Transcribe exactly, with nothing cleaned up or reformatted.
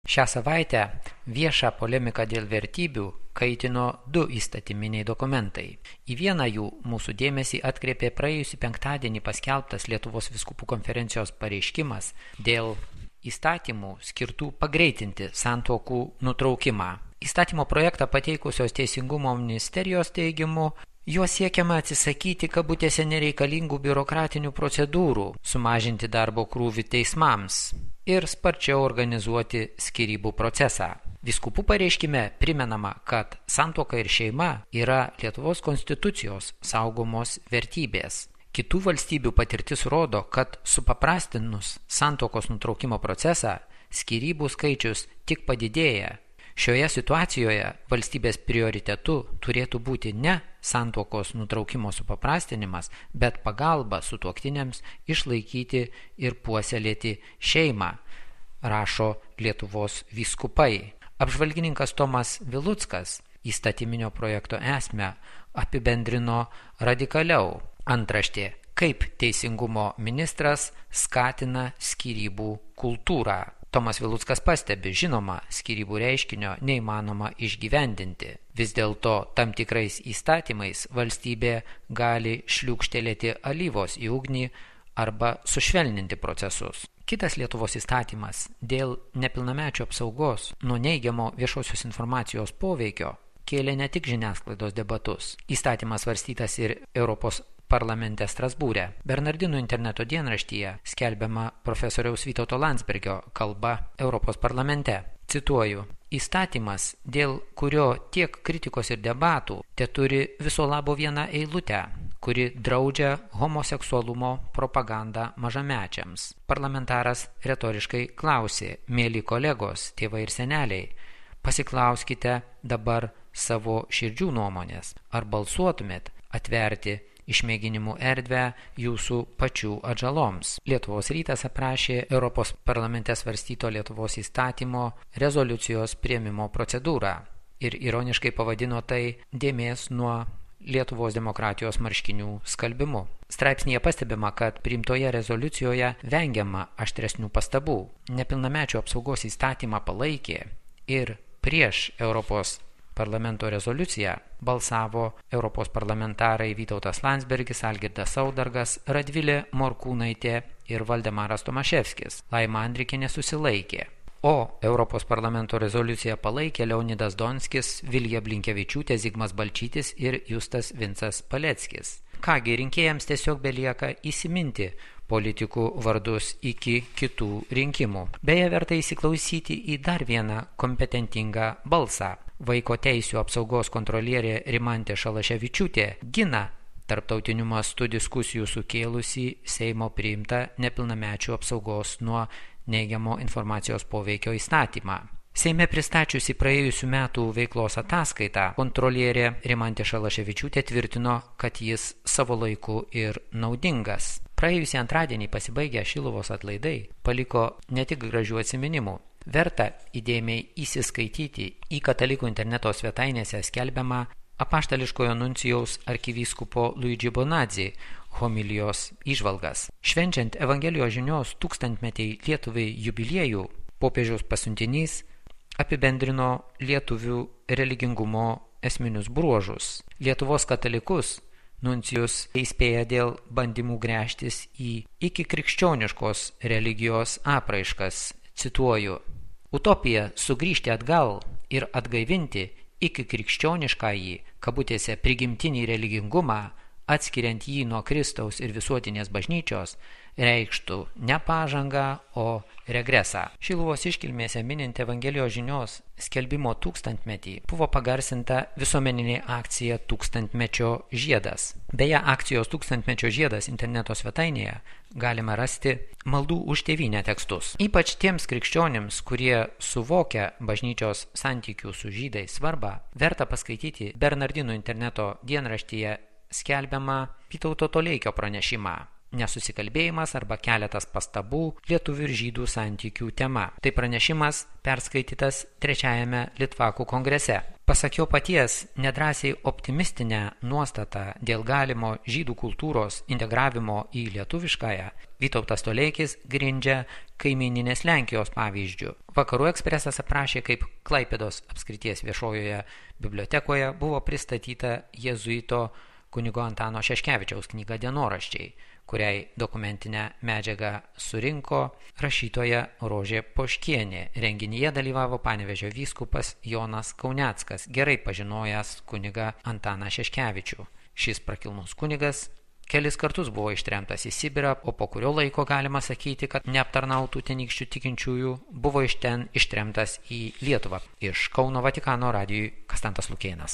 Šią savaitę viešą polemiką dėl vertybių kaitino du įstatyminiai dokumentai. Į vieną jų mūsų dėmesį atkreipė praėjusį penktadienį paskelbtas Lietuvos vyskupų konferencijos pareiškimas dėl įstatymų skirtų pagreitinti santuokų nutraukimą. Įstatymo projektą pateikusios Teisingumo ministerijos teigimu, juo siekiama atsisakyti kabutėse nereikalingų biurokratinių procedūrų, sumažinti darbo krūvį teismams ir sparčiau organizuoti skyrybų procesą. Vyskupų pareiškime primenama, kad santuoka ir šeima yra Lietuvos konstitucijos saugomos vertybės. Kitų valstybių patirtis rodo, kad supaprastinus santuokos nutraukimo procesą, skyrybų skaičius tik padidėja. Šioje situacijoje valstybės prioritetu turėtų būti ne santuokos nutraukimo supaprastinimas, bet pagalba sutuoktiniams išlaikyti ir puoselėti šeimą, rašo Lietuvos vyskupai. Apžvalgininkas Tomas Viluckas įstatyminio projekto esmę apibendrino radikaliau. Antraštė: kaip teisingumo ministras skatina skyrybų kultūrą. Tomas Viluckas pastebi, žinoma, skyrybų reiškinio neįmanoma išgyvendinti. Vis dėlto tam tikrais įstatymais valstybė gali šliūkštelėti alyvos į ugnį arba sušvelninti procesus. Kitas Lietuvos įstatymas dėl nepilnamečių apsaugos nuo neigiamo viešosios informacijos poveikio kėlė ne tik žiniasklaidos debatus. Įstatymas svarstytas ir Europos parlamente Strasbūre. Bernardinų interneto dienraštyje skelbiama profesoriaus Vytauto Landsbergio kalba Europos parlamente. Cituoju: įstatymas, dėl kurio tiek kritikos ir debatų, teturi viso labo vieną eilutę, kuri draudžia homoseksualumo propagandą mažamečiams. Parlamentaras retoriškai klausė: mėly kolegos, tėvai ir seneliai, pasiklauskite dabar savo širdžių nuomonės, ar balsuotumėt atverti išmėginimų erdvę jūsų pačių atžaloms. Lietuvos rytas aprašė Europos parlamente svarstyto Lietuvos įstatymo rezoliucijos priėmimo procedūrą ir ironiškai pavadino tai dėmės nuo Lietuvos demokratijos marškinių skalbimu. Straipsnėje pastebima, kad priimtoje rezoliucijoje vengiama aštresnių pastabų. Nepilnamečių apsaugos įstatymą palaikė ir prieš Europos parlamento rezoliuciją balsavo Europos parlamentarai Vytautas Landsbergis, Algirdas Saudargas, Radvilė Morkūnaitė ir Valdemaras Tomaševskis. Laima Andrikienė susilaikė. O Europos parlamento rezoliuciją palaikė Leonidas Donskis, Vilija Blinkevičiūtė, Zigmas Balčytis ir Justas Vincas Paleckis. Kągi, rinkėjams tiesiog belieka įsiminti politikų vardus iki kitų rinkimų. Beje, verta įsiklausyti į dar vieną kompetentingą balsą. Vaiko teisių apsaugos kontrolierė Rimantė Šalaševičiūtė gina tarptautiniu mastu diskusijų sukėlusį Seimo priimtą nepilnamečių apsaugos nuo neigiamo informacijos poveikio įstatymą. Seime pristačiusi praėjusių metų veiklos ataskaitą, kontrolierė Rimantė Šalaševičiūtė tvirtino, kad jis savo laiku ir naudingas. Praėjusį antradienį pasibaigę Šiluvos atlaidai paliko ne tik gražių atsiminimų. Verta įdėmiai įsiskaityti į katalikų interneto svetainėse skelbiamą apaštališkojo nuncijaus arkivyskupo Luigi Bonadzi homilijos įžvalgas. Švenčiant Evangelijos žinios tūkstantmetį Lietuvai jubiliejų, popiežiaus pasiuntinys apibendrino lietuvių religingumo esminius bruožus. Lietuvos katalikus nuncijus įspėja dėl bandymų gręžtis į iki krikščioniškos religijos apraiškas. Cituoju: utopija sugrįžti atgal ir atgaivinti iki krikščioniškąjį, kabutėse prigimtinį religingumą, atskiriant jį nuo Kristaus ir visuotinės bažnyčios, reikštų ne pažangą, o regresą. Šiluvos iškilmėse minint Evangelijos žinios skelbimo tūkstantmetį buvo pagarsinta visuomeninė akcija Tūkstantmečio žiedas. Beje, akcijos Tūkstantmečio žiedas interneto svetainėje galima rasti maldų už tėvynę tekstus. Ypač tiems krikščionims, kurie suvokia bažnyčios santykių su žydais svarbą, verta paskaityti Bernardinų interneto dienraštyje skelbiamą Vytauto Toleikio pranešimą "Nesusikalbėjimas arba keletas pastabų lietuvių ir žydų santykių tema". Tai pranešimas perskaitytas trečiajame Litvakų kongrese. Pasak jo paties, nedrąsiai optimistinę nuostatą dėl galimo žydų kultūros integravimo į lietuviškąją Vytautas Toleikis grindžia kaimyninės Lenkijos pavyzdžių. Vakarų ekspresas aprašė, kaip Klaipėdos apskrities viešojoje bibliotekoje buvo pristatyta jėzuito kunigo Antano Šeškevičiaus knyga Dienoraščiai, kuriai dokumentinę medžiagą surinko rašytoja Rožė Poškienė. Renginyje dalyvavo Panevėžio vyskupas Jonas Kauneckas, gerai pažinojęs kunigą Antaną Šeškevičių. Šis prakilnus kunigas kelis kartus buvo ištremtas į Sibirą, o po kurio laiko galima sakyti, kad neaptarnautų tenykščių tikinčiųjų buvo iš ten ištremtas į Lietuvą. Iš Kauno Vatikano radijui Kastantas Lukėnas.